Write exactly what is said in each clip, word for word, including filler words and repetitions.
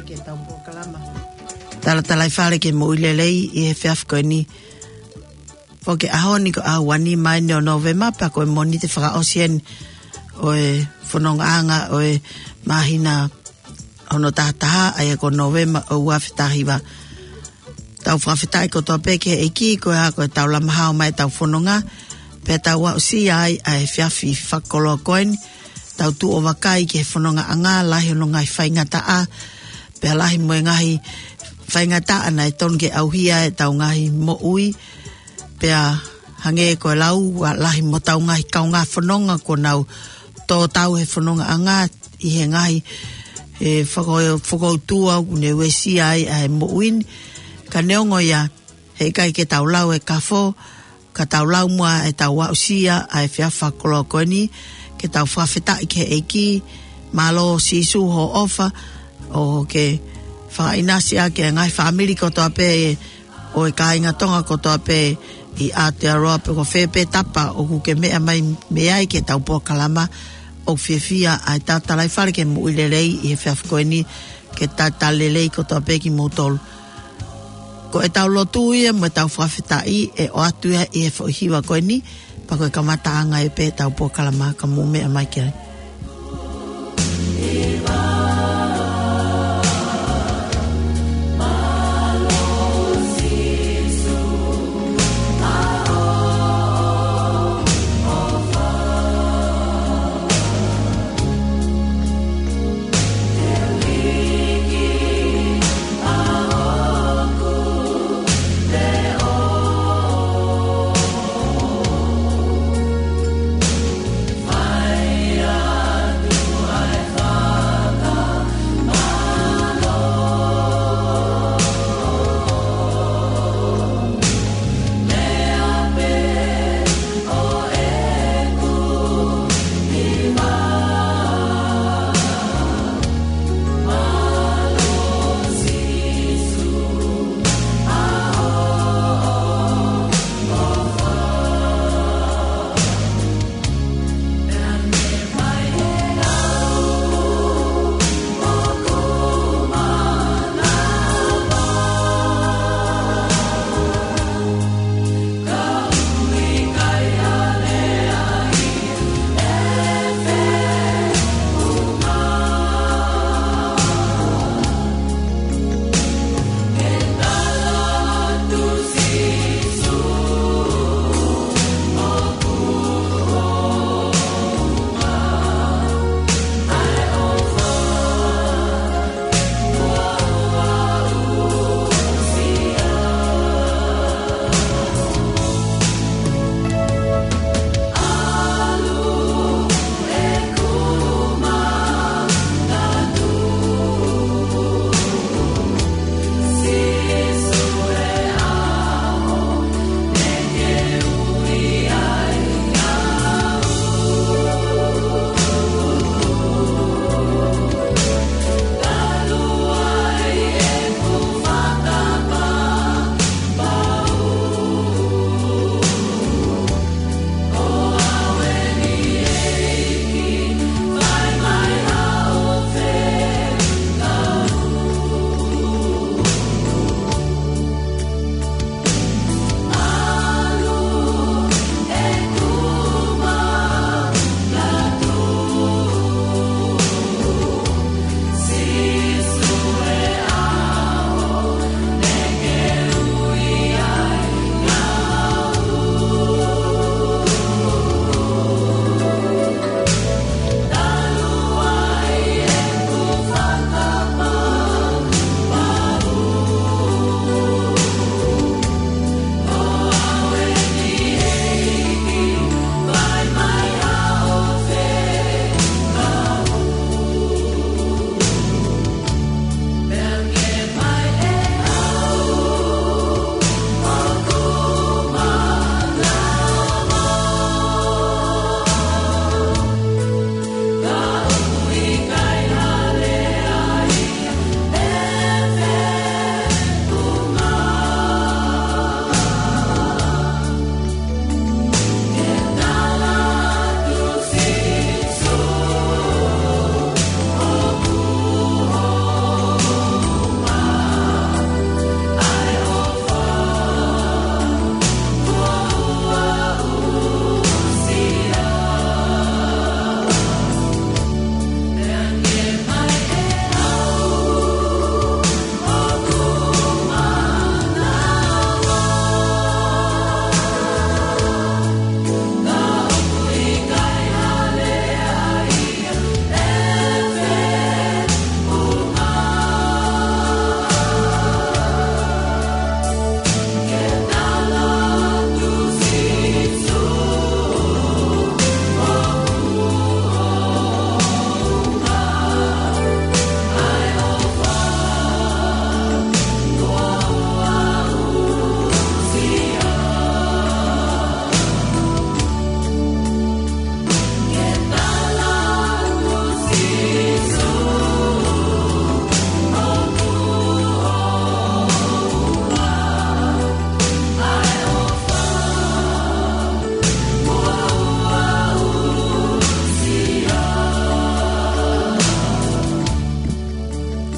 Ke tau polokalama Talatalaifale ki he Moʻui Lelei ʻi he efiafi ko eni. Foki ʻaho ni ko e ʻaho uanima eni ʻo Nōvema, pea ko e Mōnite fakaʻosi eni ʻo e fonongaʻanga ʻo e māhina hono tahataha, ʻa ia ko Nōvema ʻo e ua afe taha hiva. Tau fakafetaʻi kotoa pē ki he ʻEiki, ko e hā, ko e tau lama hao mai ʻetau fononga, pea tau aʻusia ai ʻa e efiafi fakakoloa ko eni, tau tuʻu ʻo vakai ki he fonongaʻanga, lahi hono ngaahi faingataʻa, pea lahi mo e ngaahi faingataʻa naʻe tonu ke ʻauhia ʻetau ngaahi moʻui, pea hangē ko e lau, ʻa lahi mo ʻetau ngaahi kaungā fononga kuo nau tō tau he fonongaʻanga ʻi he ngaahi, e, faka-, fakautua ʻoku ne uesia ai ʻa e moʻui ni. Ka neongo ia, heʻikai ke tau lau e kafo, ka tau lau muʻa ʻetau aʻusia ʻa e efiafi fakakoloa ko eni, ke tau fakafetaʻi ki he ʻEiki. Mālō Sīsū hoʻo ʻofa, ʻo ke fakaʻinasi ʻaki e ngaahi fāmili kotoa pē, ʻo e kāinga Tonga kotoa pē ʻi Aotearoa, pe ko fē pē tapa ʻoku ke meʻa mai mei ai ki he tau polokalama. ʻOku fiefia ʻa e Talatalaifale ki he Moʻui Lelei ʻi he efiafi ko eni, ke talitali lelei kotoa pē kimoutolu. Ko ʻetau lotu ia mo ʻetau fakafetaʻi ʻe ʻoatu ia ʻi he foʻi hiva ko eni, pea ko e kamataʻanga ia pē ʻetau polokalama, ka mou meʻa mai ki ai.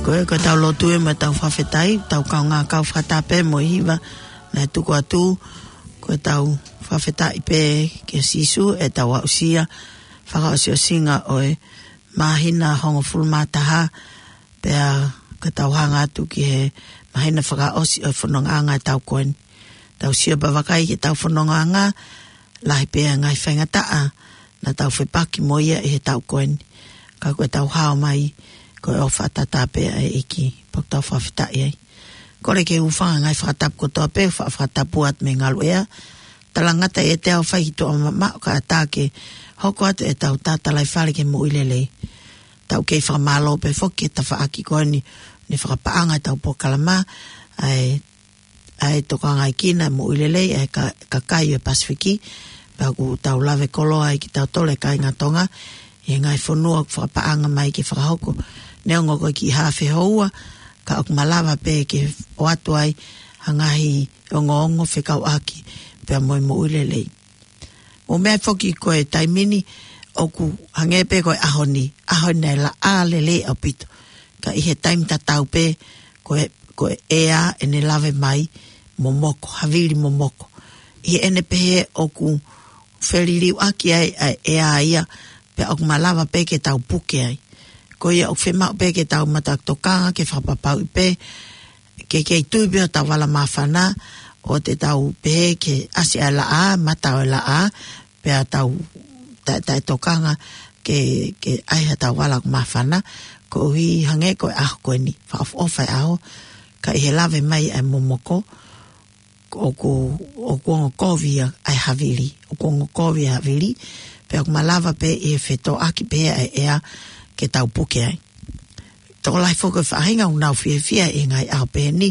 Ko e, ko ʻetau lotu ē mo ʻetau fakafetaʻi, tau kaungā kau fakatapu mo e hiva naʻe tuku atu. Ko ʻetau fakafetaʻi pē kia Sīsū ʻetau aʻusia fakaʻosiʻosinga ʻo e māhina hongofulu mā taha, pea ko ʻetau hanga atu ki he māhina fakaʻosi ʻo e fonongaʻanga ʻetau ko eni. Tau sio pē vakai ki heʻetau fonongaʻanga, lahi pē ʻa e ngaahi faingataʻa naʻa tau fepaki mo ia ʻi he taʻu ko eni. Ka ko ʻetau hao mai, ko e ʻofa tatau pē ʻa e ʻEiki, pea ʻoku tau fakafetaʻi ai. Kole ke u hūfanga he ngaahi fakatapu kotoa pē, fa-, fakatapu atu mei Ngaluʻea. Talangata ʻiate au fai ki tuʻa mamaʻo kae ʻatā ke hoko atu ʻetau tatalaifale ki he moʻui lelei. Tau kei fakamālō pē foki he tafaʻaki ko eni, ne fakapaʻanga ʻetau polokalama, ʻa e ʻa e tokangaʻekina moʻui lelei ʻa e ka-, kakai ʻo e Pasifiki, pea ʻoku tau lave koloa ai kitautolu e kāinga Tonga, ʻi he ngaahi fonua ʻoku fakapaʻanga mai ke fakahoko. Neongo ko e kiʻi haafe houa, ka ʻoku malava pē ke ʻoatu ai ha ngaahi ongoongo fekauʻaki pea mo e moʻui lelei. ʻO meʻa foki ko e taimi ni ʻoku hangē pē ko e ʻaho ni, ʻaho ni naʻe laʻā lelei ʻaupito. Ka ʻi he taimi tatau pē ko e, ko e ʻea ʻene lave mai momoko, havili momoko. ʻI heʻene pehē ʻoku feliliuaki ai ʻa e ʻea ia, pea ʻoku malava pē ke tau puke ai. Ko ia ʻoku fiemaʻu pē ke tau matuʻaki tokanga ke fakapapauʻi pē ke kei tui pē hotau vala māfana, ʻoua te tau pehē ke ʻasi ʻa e laʻā, mata ʻo e laʻā, pea tau taʻe, taʻe tokanga ke, ke ʻai haʻatau vala ʻoku māfana, koeʻuhi hangē ko e ʻaho ko eni, fakaʻofoʻofa e ʻaho, ka ʻi he lave mai ʻa e momoko, ʻoku, ʻoku ongo kovi ʻa e havili, ʻoku ongo kovi ʻa e havili, pea ʻoku malava pē ʻi he fetōʻaki pē ʻa e ʻea ke tau puke ai. Tokolahi foki e faʻahinga ʻoku nau fiefia ʻi he ngaahi ʻaho pehē ni,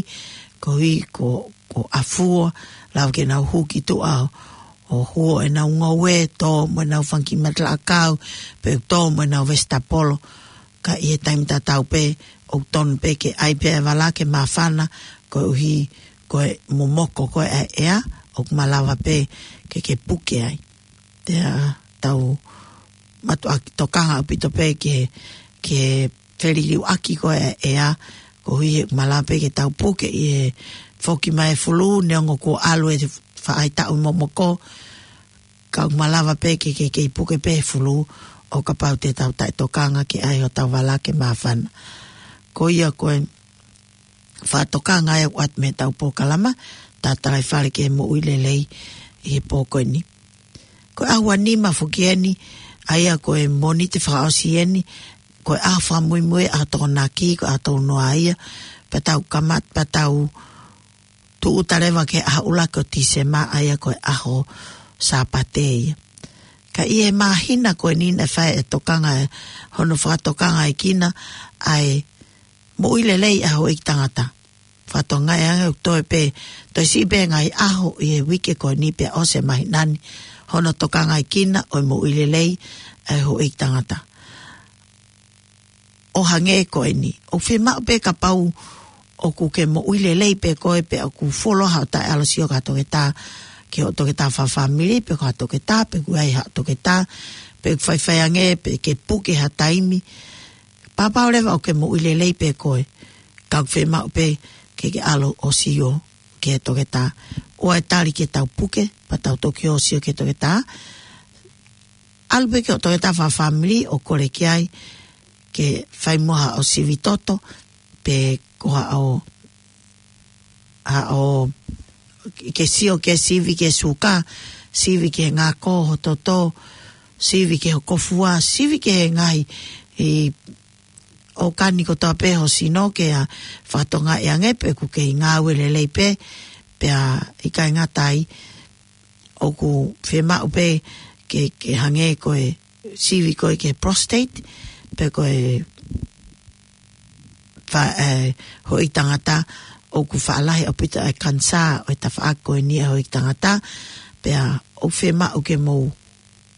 koeʻuhi ko, ko ʻafua, lava ke nau hū ki tuʻa ʻo huo ʻenau ngoue, tō mo ʻenau fanga kiʻi matalaʻakau, pe tō mo ʻenau vesitapolo, ka ʻi he taimi tatau pē, ʻoku tonu pē ke ʻai pē ʻa e vala ke māfana, koeʻuhi ko e momoko ko ē ʻa e ʻea, ʻoku malava pē ke, ke puke ai. Pea tau matuʻaki tokanga ʻaupito pē ke, ke feliliuaki ko ē ʻa e ʻea, koeʻuhi he malava pē ke tau puke ʻi he foki mai e fulū, neongo kuo ʻalu e faʻahitaʻu momoko, ka ʻoku malava pē ke, ke, ke puke pē he fulū, ʻo kapau te tau taʻe tokanga ke ʻai hotau vala ke māfana. Ko ia ko e fakatokanga ē ʻoku ʻoatu mei heʻetau polokalama, tatalaifale ki he moʻui lelei ʻi he pō ko eni. Ko e ʻaho ua nima foki eni, ʻa ia ko e Mōnite fakaʻosi eni, ko e ʻaho fakamuimui, ʻaho Tokonaki, ko e ʻaho tolu noa ia, pea tau kamata, pea tau tūʻuta leva ki he ʻaho ʻuluaki ʻo Tīsema, ʻa ia ko e ʻaho Sāpate ia. Ka ʻi he māhina ko eni naʻe fai e tokanga ē, hono fakatokangaʻekina ʻa e moʻui lelei ʻa e houʻeiki tangata. Fakatokangaʻi ange ʻoku toe pē, toe siʻi pē ngaahi ʻaho ʻi he uike ko eni pea ʻosi e māhina ni, hono tokangaʻekina ʻo e moʻui lelei ʻa e houʻeiki tangata. ʻO hangē ko eni, ʻoku fiemaʻu pē kapau ʻoku ke moʻui lelei pē koe, pe ʻoku fuoloa haʻo taʻeʻalu ʻo sio ki ha toketā, ki hoʻo toketā fakafāmili, pe ko ha toketā, pe ʻoku ʻi ai haʻo toketā, pe ʻoku faifai ange, pe ke puke ha taimi, pāpau leva ʻoku ke moʻui lelei pē koe, ka ʻoku fiemaʻu pē ke ke ʻalu ʻo sio ki he toketā. ʻOua ʻe tali ke tau puke, pea tau toki ō ʻo sio ki he toketā. ʻAlu pē ki hoʻo toketā fakafāmili ʻo kole ki ai, ke fai muʻa haʻo sivi toto, pe ko haʻo, haʻo, ke sio ke sivi ki he suka, sivi ki he ngako ho toto, sivi ki ho kōfua, sivi ki he ngaahi ʻi ʻōkani kotoa pē ho sino ke fakatokangaʻi ange pe ʻoku kei ngāue lelei pē, pea ʻikai ngata ai, ʻoku fiemaʻu pē ke, ke hangē ko e sivi ko ē ki he prostate, pe ko e fa-, e, houʻeiki tangata, ʻoku faʻa lahi ʻaupito e kanisā ʻo e tafaʻaki ko eni ʻa e houʻeiki tangata, pea ʻoku fiemaʻu ke mou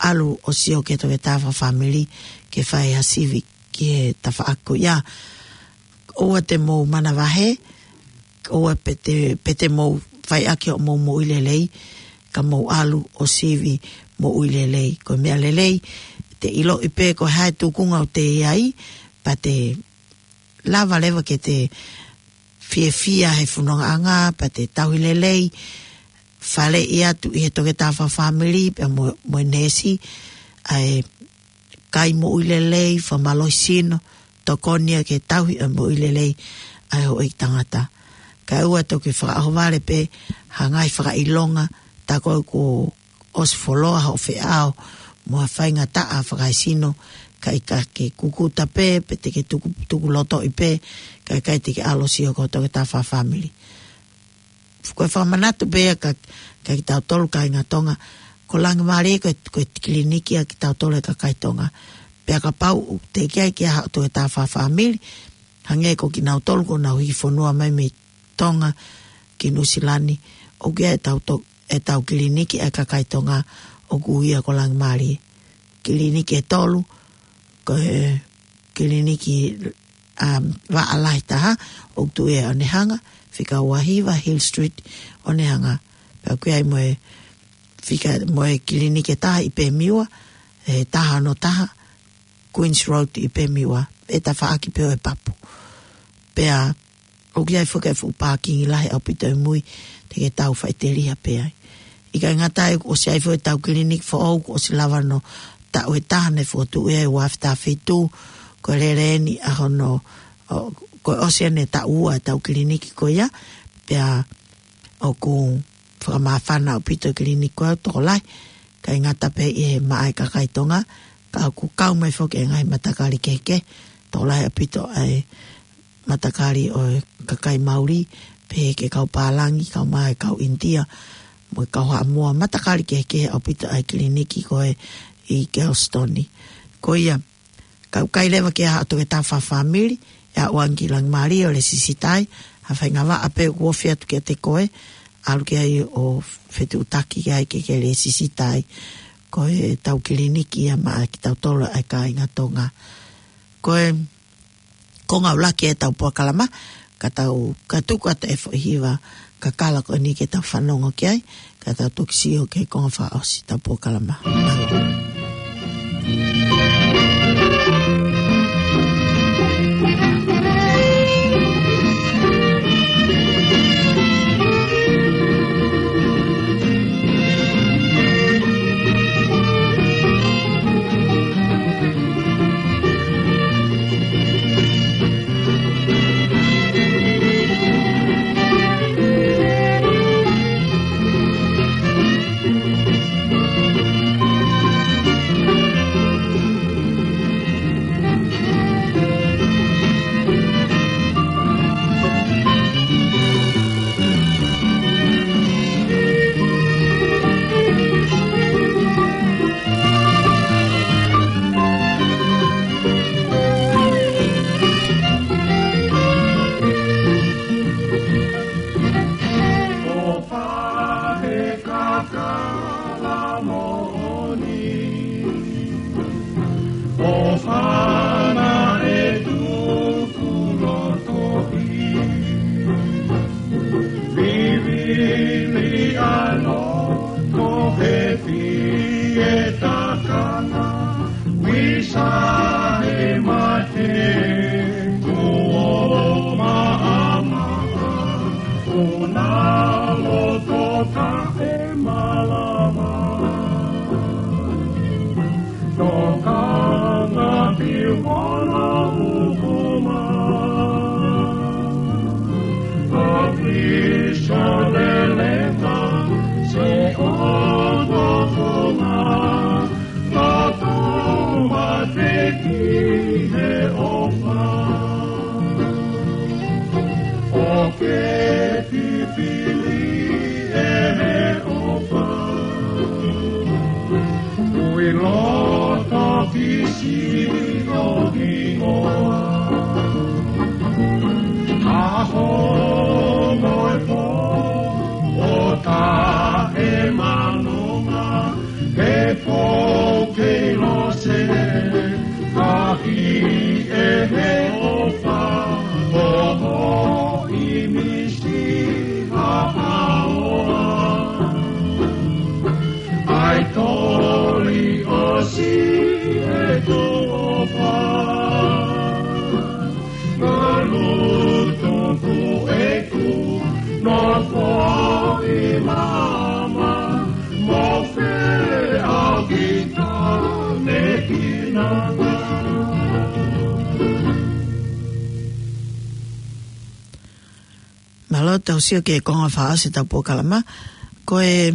ʻalu ʻo sio ki he toketā fakafāmili ke fai ha sivi ki he tafaʻaki ko ia. ʻOua te mou manavahē, ʻoua pē te, pē te mou fai ʻaki hoʻomou moʻui lelei, ka mou ʻalu ʻo sivi moʻui lelei. Ko e meʻa lelei, te ʻiloʻi pē ko e hā e tūkunga ʻoku te ʻi ai, pea te lava leva ke te fiefia he fonongaʻanga, pea te tauhi lelei, faleʻi atu ʻi he toketā fakafāmili, pea mo, mo e neesi, ʻa e kai moʻui lelei, fakamālohisino, tokoni ia ke tauhi ʻa e moʻui lelei ʻa e houʻeiki tangata. Kae ʻoua toki fakaʻohovale pē ha ngaahi fakaʻilonga, tā ko ē kuo ʻosi fuoloa hoʻo feʻao mo ha faingataʻa fakaesino, kae ʻikai ke kukuta pē, pe te ke tuku, tuku lotoʻi pē, kae ʻikai te ke ʻalu ʻo sio ki ho toketā fakafāmili. Ko e fakamanatu pē ia kia, kia kitautolu kāinga Tonga, ko Langimālie ko e, ko e kiliniki ʻa kitautolu e kakai Tonga. Pea kapau ʻoku teʻeki ai ke ʻi ai haʻo toketā fakafāmili, hangē ko kinautolu kuo nau hiki fonua mai mei Tonga ki Nuʻusilani, ʻoku ʻi ai ʻetau to-, ʻetau kiliniki ʻa e kakai Tonga ʻoku ui ia ko Langimālie. Kiliniki ʻe tolu, ko e kiliniki, um, vaʻa lahi taha, ʻoku tuʻu ia ʻi Onehunga, fika uahiva Hill Street, Onehunga. Pea ʻoku ʻi ai mo e fika, mo e kiliniki ʻe taha ʻi Pemiwa, ʻe taha ono taha, Queens Road ʻi Pemiwa, ʻi he tafaʻaki pē ʻo e papu. Pea ʻoku ʻi ai foki e fuʻu pākingi lahi ʻaupito ʻi mui, te ke tau faʻiteliha pē ai. ʻIkai ngata ai, kuo ʻosi ʻi ai foki ʻetau kiliniki foʻou, kuo ʻosi lava hono taʻu ʻe taha naʻe fokotuʻu ia ʻi he ua afe taha fitu, ko e lele eni ʻa hono, ʻo, kuo ʻosi eni e taʻu ua ʻetau kiliniki ko ia, pea ʻoku fakamāfana ʻaupito e kiliniki ko ia ʻo tokolahi, ʻikai ngata pē ʻi he maʻa e kakai Tonga, ka ʻoku kau mai foki e ngaahi matakali kehekehe, tokolahi ʻaupito ʻa e matakali ʻo e kakai Mauli, pehē ki he kau pālangi, kau mai e kau ʻInitia, mo e kau Haʻamoa, matakali kehekehe ʻaupito ʻa e kiliniki ko ē ʻi Galston. Ko ia, ka ʻoku ʻikai leva ke ʻi ai haʻo toketā fakafāmili, ʻe aʻu ange ki Langimālie ʻo lēsisita ai, ha faʻahinga vaʻa pē ʻoku ofi atu kiate koe, ʻalu ki ai ʻo fetuʻutaki ki ai ke ke lēsisita ai. Ko ʻetau kiliniki ia maʻa kitautolu ʻa e kāinga Tonga. Ko e konga ʻuluaki ʻetau polokalama, ka tau, ka tuku atu e foʻi hiva kakala ko eni ke tau fanongo ki ai, ka tau toki sio ki he konga fakaʻosi ʻetau polokalama. Mālō. Foʻi mama, mo fe a kita me kina. Mālō, tau sio ki he konga fā ʻo ʻetau polokalama. Ko e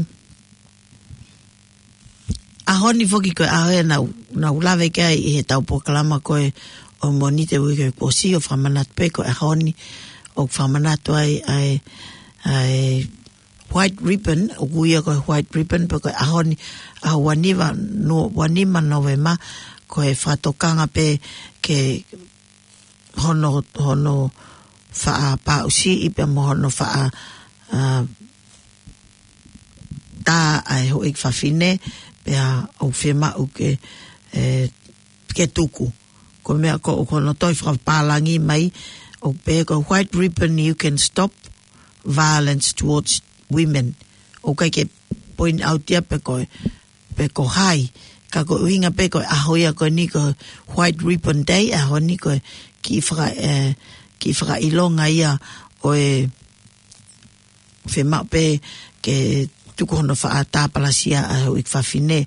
ʻaho ni foki ko e ʻaho ē naʻa ku, naʻa ku lave ki ai ʻi heʻetau polokalama ko ē ʻo Mōnite uike kuo ʻosi, ʻo fakamanatu pē ko e ʻaho ni ʻoku fakamanatu ai ʻa e, ʻa e White Ribbon, ʻoku ui ia ko e White Ribbon, pe ko e ʻaho ni, ʻaho ua nima, no, ua nima Nōvema, ko e fakatokanga pē ki hono, hono faʻa paʻusiʻi pea mo hono faʻa, ā, tā ʻa e houʻeiki fafine, pea ʻoku fiemaʻu ke, ē, ke tuku. Ko e meʻa ko, ko hono toe fakapālangi mai, ʻoku pehē ko e White Ribbon, you can stop violence towards women. ʻOku ʻikai ke point out ia pe ko e, pe ko hai. Ka ko e ʻuhinga pē ko e ʻaho ia ko eni ko e White Ribbon Day, ʻaho ni ko e kiʻi faka-, ē, kiʻi fakaʻilonga ia ʻo e fiemaʻu pē ke tuku hono faʻa tāpalasia ʻa e houʻeiki fafine.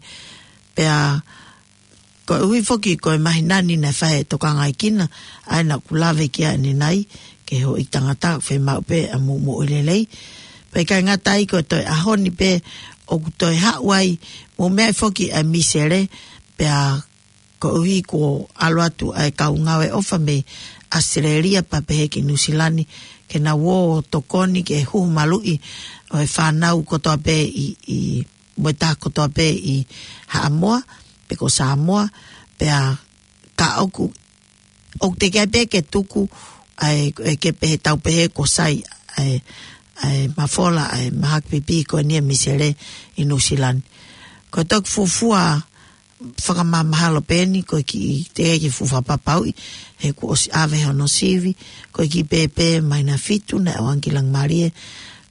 Pea koeʻuhi foki ko e māhina ni naʻe fai e tokangaʻi kina, ʻa ia naʻa ku lave ki ai ʻanenai, ki he houʻeiki tangata, fiemaʻu pē ʻa mou moʻui lelei. Pea ʻikai ngata ai, ko e toe ʻaho ni pē ʻoku toe haʻu ai, mou meaʻi foki ʻa e misele, pea koeʻuhi kuo ʻalu atu ʻa e kau ngāue ʻofa mei ʻAositelēlia pea pehē ki Nuʻusila ni, ke nau ō ʻo tokoni ki he huhu maluʻi ʻo e fānau kotoa pē ʻi, ʻi, mo e taha kotoa pē ʻi Haʻamoa, pe ko Sāmoa, pea ka ʻoku, ʻoku teʻeki ai pē ke tuku ʻa e, ʻe ke pehē tau pehē kuo sai ʻa e, ʻa e mafola ʻa e mahaki pipi ko eni ʻa e misele ʻi Nuʻusila ni. Ko e toki fuofua fakamāmahalo pē eni, ko e kiʻi teʻeki ke fuʻu fakapapauʻi, he kuo ʻosi ʻave hono sivi, ko e kiʻi pēpē māhina fitu naʻe ʻoange ki Langimalie,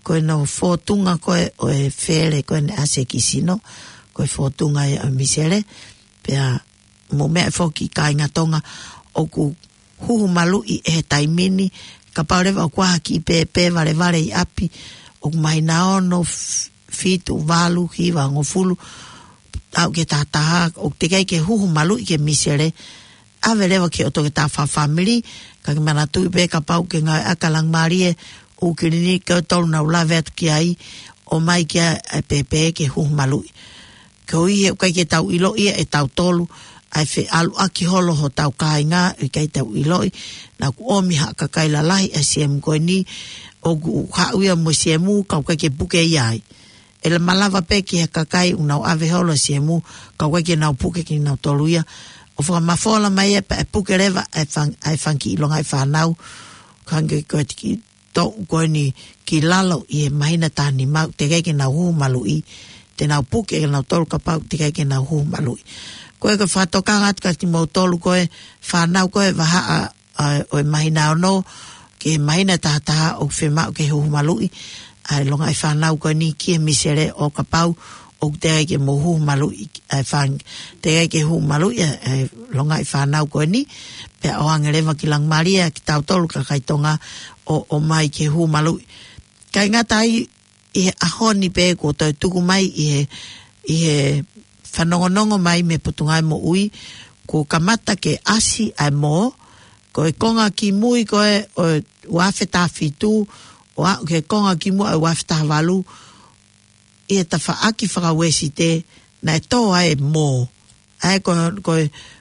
ko hono fōtunga ko ē ʻo e fele ko ē naʻe ʻasi ki he sino, ko e fōtunga ia ʻo e misele, pea mou meaʻi foki kāinga Tonga ʻoku huhu maluʻi ʻi he taimi ni, kapau leva ʻoku ʻi ai ha kiʻi pēpē valevale ʻi ʻapi, ʻoku māhina ono, f-, fitu, valu, hiva, hongofulu, aʻu ki he taha taha, ʻoku teʻeki ai ke huhu maluʻi ki he misele, ʻave leva ki hoʻo toketā fakafāmili, ka ke manatuʻi pē kapau ʻoku ke ngāueʻaki ʻa Langimalie, ʻū kiliniki ʻe tolu naʻa ku lave atu ki ai, ʻomai ki ai ʻa e pēpē ke huhu maluʻi. Koeʻuhi he ʻoku ʻikai ke tau ʻiloʻi ia ʻe tautolu, ʻa e feʻaluʻaki holo hotau kāinga, ʻikai tau ʻiloʻi, naʻa ku ʻomi ha kakai lalahi ʻa e siemu ko eni, ʻoku haʻu ia mo e siemu, ka ʻoku ʻikai ke puke ia ai. ʻE malava pē ki he kakai ʻoku nau ʻave holo e siemu, ka ʻoku ʻikai ke nau puke kinautolu ia. ʻO fakamafola mai ia pea ʻe puke leva ʻa e fang-, ʻa e fanga kiʻi longaʻi fānau, hangē ko e tiki toʻu ko eni ki lalo ʻi he māhina taha nima, teʻeki ai ke nau huhu maluʻi, te nau puke kinautolu kapau teʻeki ai ke nau huhu maluʻi. Ko e ko e fakatokanga atu kiate kimoutolu ko e fānau ko e vahaʻa, ʻa, ʻo e māhina ono, ki he māhina taha taha ʻoku fiemaʻu ke huhu maluʻi ʻa e longaʻi fānau ko eni ki he misele ʻo kapau ʻoku teʻeki ai ke mou huhu maluʻi ʻa e fang-, teʻeki ai ke huhu maluʻi ʻa e, ʻa e longaʻi fānau ko eni, pea ʻoange leva ki Langimalie ʻa kitautolu kakai Tonga ʻo, ʻomai ke huhu maluʻi. ʻIkai ngata ai, ʻi he ʻaho ni pē kuo toe tuku mai ʻi he, ʻi he fanongonongo mai mei he Potungāue Moʻui, kuo kamata ke ʻasi ʻa e mō, ko e konga kimui ko ē ʻo e ua afe taha fitu, ʻo aʻu ki he konga kimui ʻo e ua afe taha valu, ʻi he tafaʻaki faka-Uēsite, naʻe tō ai e mō. ʻA ia ko, ko,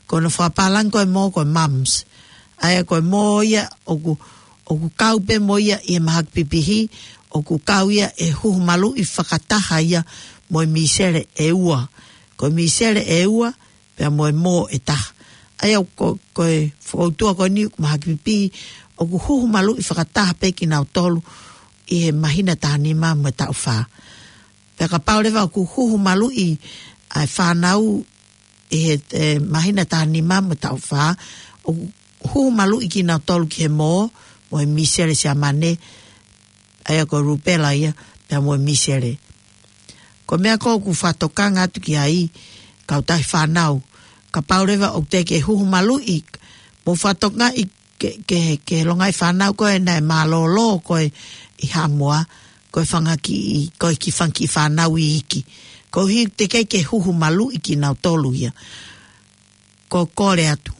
ko hono fakapālangi ko e mō ko e mumps. ʻA ia ko e mō ia ʻoku, ʻoku kau pē mo ia ʻi he mahaki pipihi, ʻoku kau ia ʻi he huhu maluʻi fakataha ia mo e misele ʻe ua. Ko e misele ʻe ua, pea mo e mō ʻe taha. ʻA ia ko, ko e fokoutua ko eni ʻoku mahaki pipihi, ʻoku huhu maluʻi fakataha pē kinautolu ʻi he māhina taha nima mo e taʻu fā. Pea kapau leva ʻoku huhu maluʻi ʻa e fānau ʻi he, ē, māhina taha nima mo e taʻu fā, ʻoku huhu maluʻi kinautolu ki he mō, mo e misele Siamane, ʻa ia ko e rupela ia, pea mo e misele. Ko e meʻa ko ē ʻoku fakatokanga atu ki ai, kau tahi fānau, kapau leva ʻoku teʻeki ke huhu maluʻi, mou fakatokangaʻi ke, ke, ke longaʻi fānau ko ē naʻe mālōlō ko ē ʻi Haʻamoa, ko e fanga kiʻi, ko e kiʻi fanga kiʻi fānau iiki. Koeʻuhi teʻeki ai ke huhu maluʻi kinautolu ia. Ko e kole atu,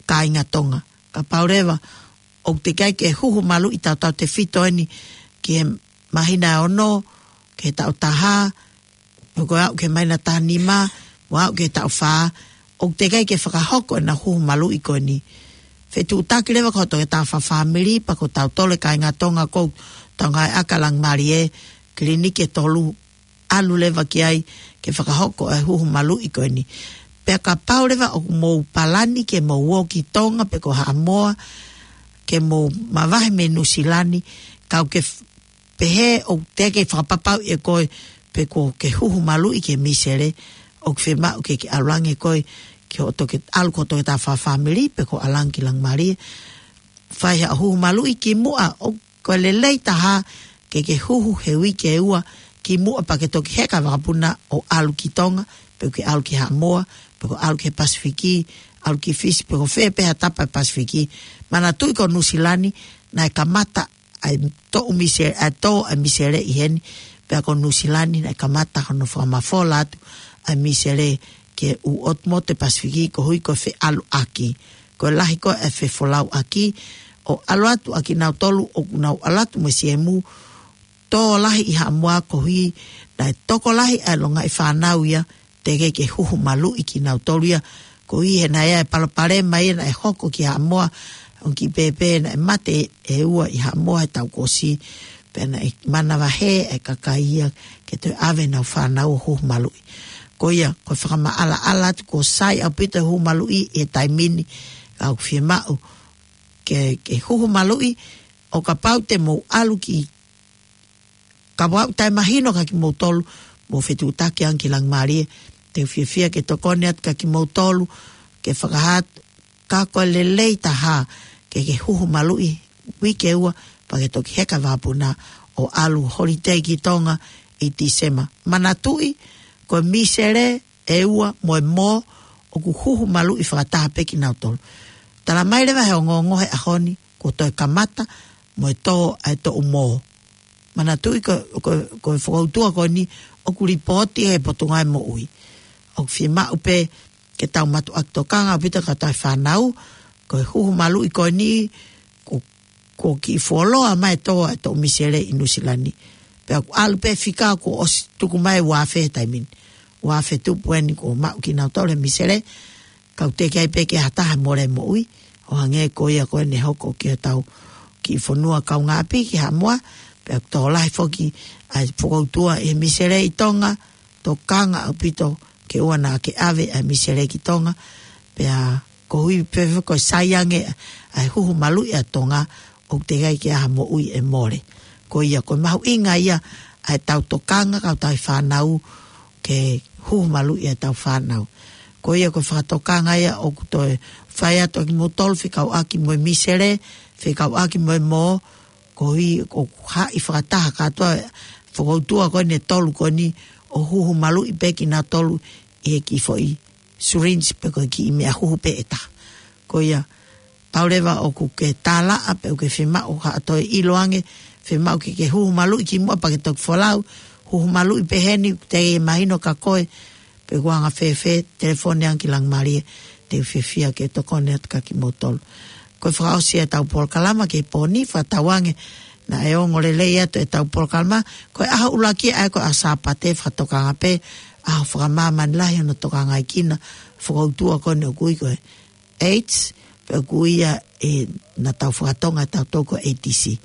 kāinga Tonga. Kapau leva ʻoku teʻeki ai ke huhu maluʻi tautautefito eni ki he māhina ʻe ono, ki he taʻu taha, pe ko e aʻu ki he māhina taha nima, mo aʻu ki he taʻu fā, ʻoku teʻeki ai ke fakahoko ʻenau huhu maluʻi ko eni. Fetuʻutaki leva ki hoʻo toketā fakafāmili, pea ko tautolu e kāinga Tonga ʻoku tau ngāueʻaki ʻa e Langimālie, kiliniki ʻe tolu, ʻalu leva ki ai ke fakahoko e huhu maluʻi ko eni. Pea kapau leva ʻoku mou palani ke mou ō ki Tonga pe ko Haʻamoa, ke mou mavahe mei Nuʻusila ni, kau ke f-, pehē ʻoku teʻeki fakapapauʻi ʻe koe pe kuo ke huhu maluʻi ki he misele, ʻoku fiemaʻu ke ke ʻalu ange koe ki hoʻo toke-, ʻalu ki hoʻo toketā fakafāmili pe ko e ʻalu ange ki Langimālie. Fai haʻo huhu maluʻi kimuʻa, ʻoku ko e lelei taha ke ke huhu he uike ʻe ua kimuʻa pea ke toki heka vakapuna ʻo ʻalu ki Tonga, pe ke ʻalu ki Haʻamoa, pe ko e ʻalu ki he Pasifiki, ʻalu ki Fisi, pe ko fē pē ha tapa ʻo e Pasifiki. Manatuʻi ko Nuʻusila ni, naʻe kamata ʻa e toʻu mise-, ʻa e tō ʻa e misele ʻi heni, pea ko Nuʻusila ni naʻe kamata hono fakamafola atu ʻa e misele ki he ʻū ʻotu motu ʻo e Pasifiki koeʻuhi ko e feʻaluʻaki. Ko e lahi ko ē e fefolauʻaki, ʻo ʻalu atu ʻa kinautolu ʻoku nau ʻalu atu mo e siemu, tō lahi ʻi Haʻamoa koeʻuhi naʻe tokolahi ʻa e longaʻi fānau ia, teʻeki ke huhu maluʻi kinautolu ia, koeʻuhi he naʻe ʻi ai e palopalema ia naʻe hoko ki Haʻamoa, ʻo kiʻi pēpē naʻe mate ʻe ua ʻi Haʻamoa he taʻu kuo ʻosi, pea naʻe manavahē e kakai ia ke toe ʻave ʻenau fānau ʻo huhu maluʻi. Ko ia, ko e fakamaʻalaʻala atu kuo sai ʻaupito e huhu maluʻi he taimi ni, ka ʻoku fiemaʻu ke, ke huhu maluʻi, ʻo kapau te mou ʻalu ki, kapau ʻoku taʻemahino kia kimoutolu, mou fetuʻutaki ange ki Langimālie, te u fiefia ke tokoni atu kia kimoutolu, ke fakahā atu, ka ko e lelei taha ke ke huhu maluʻi uike ʻe ua, pea ke toki heka vakapuna ʻo ʻalu holiday ki Tonga ʻi Tīsema. Manatuʻi, ko e misele ʻe ua mo e mō ʻoku huhu maluʻi fakataha pē kinautolu. Talamai leva he ongoongo he ʻaho ni, kuo toe kamata mo e tō ʻa e toʻu mō. Manatuʻi ko, ko, ko e fokoutua ko eni ʻoku lipooti he Potungāue Moʻui. ʻOku fiemaʻu pē ke tau mātuʻaki tokanga ʻaupito ki he tauhi fānau, ko e huhu maluʻi ko eni, ko, ko e kiʻi fuoloa mai e tō ʻa e toʻu misele ʻi Nuʻusila ni. Pea ʻoku ʻalu pē fika kuo ʻosi tuku mai ua afe he taimi ni. Ua afe tupu eni kuo maʻu kinautolu he misele, ka ʻoku teʻeki ai pē ke ʻi ai ha taha mole moʻui, ʻo hangē ko ia ko eni hoko ki hotau kiʻi fonua kaungāʻapi ki Haʻamoa, pea ʻoku tokolahi foki ʻa e fokoutua ʻi he misele ʻi Tonga, tokanga ʻaupito ke ʻoua naʻa ke ʻave ʻa e misele ki Tonga, pea koeʻuhi pē ko e sai ange ʻa e huhu maluʻi ʻa Tonga, ʻoku teʻeki ai ke ʻi ai ha moʻui ʻe mole. Ko ia, ko e mahuʻinga ia ʻa ʻetau tokanga ki hotau fānau, ke huhu maluʻi ʻetau fānau. Ko ia ko e fakatokanga ia ʻoku toe fai atu kia kimoutolu fekauʻaki mo e misele, fekauʻaki mo e mō, koeʻuhi ʻoku haʻi fakataha kātoa e fokoutua ko eni ʻe tolu ko eni ʻo huhu maluʻi pē kinautolu ʻi he kiʻi foʻi syringe pe ko e kiʻi meʻa huhu pē ʻe taha. Ko ia, pau leva ʻoku ke tālaʻa pe ʻoku ke fiemaʻu ha toe ʻilo ange, fiemaʻu ke ke huhu maluʻi kimuʻa pea ke toki folau, huhu maluʻi pē heni, ʻoku teʻeki mahino kia koe pe ʻoku anga fēfē, telefoni ange ki Langimālie, te u fiefia ke tokoni atu kia kimoutolu. Ko e fakaʻosi ʻetau polokalama ki he pō ni, fakatauange naʻe ongo lelei atu ʻetau polokalama, ko e ʻaho ʻuluaki ʻa ia ko e ʻaho Sāpate, fakatokanga pē, ʻaho fakamāmani lahi hono tokangaʻi kinautolu e fokoutua ko eni ʻoku ui ko e AIDS, pe ʻoku ui ia ʻe naʻa tau fakatonga ʻe tautolu ko e A D C.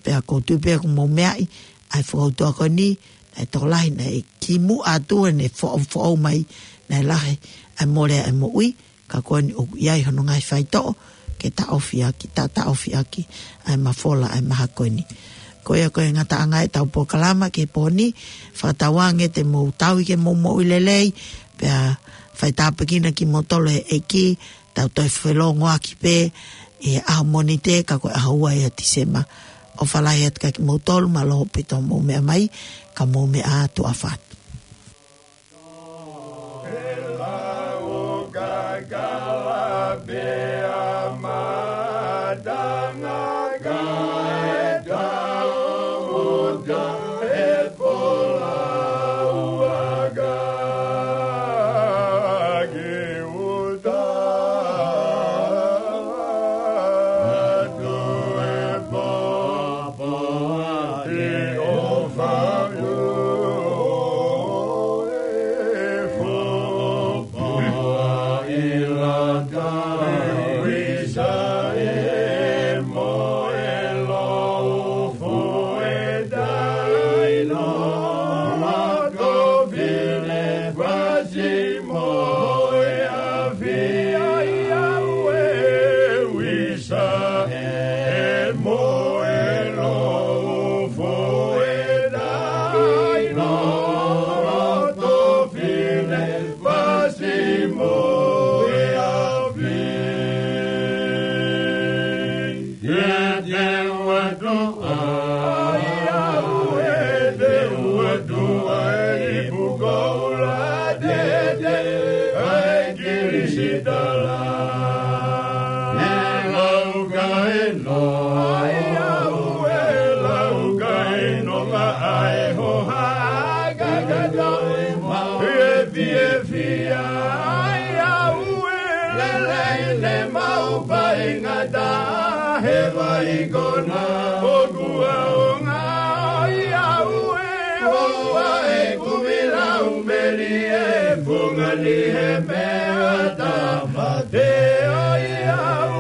Pea ʻoku ou tui pē ʻoku mou meaʻi ʻa e fokoutua ko eni, naʻe tokolahi naʻe kimuʻa atu ʻene foʻou, foʻou mai, naʻe lahi ʻa e mole ʻa e moʻui, ka ko eni ʻoku ʻi ai hono ngaahi faitoʻo ke taʻofi ʻaki, ta-, taʻofi ʻaki ʻa e mafola ʻa e maha ko eni. Ko ia ko e ngataʻanga ʻetau polokalama ki he pō ni, fakatauange te mou tauhi ke mou moʻui lelei, pea fai tāpuekina kimoutolu ʻe he ʻEiki, tau toe felōngoaki pē ʻi he ʻaho Mōnite, ka ko e ʻaho ua ia ʻo Tīsema. ʻOfa lahi atu kia kimoutolu, mālō ʻaupito hoʻomou meʻa mai, ka mou meʻa ā, tuʻa ʻofa atu. Mo e lofo e tai no loto fine fasi mo e afi. Ia te uatu ai au e te uatu ai pukoula te te ai kilisitala. E laukaino ai au e laukaino ma ai ho haka kakatoi mau e fiefia ai au e lelei ne mau faingata he vai kona o kuaonga ai au e hoa e kumilau meli e funga ni he mea tapa te ai au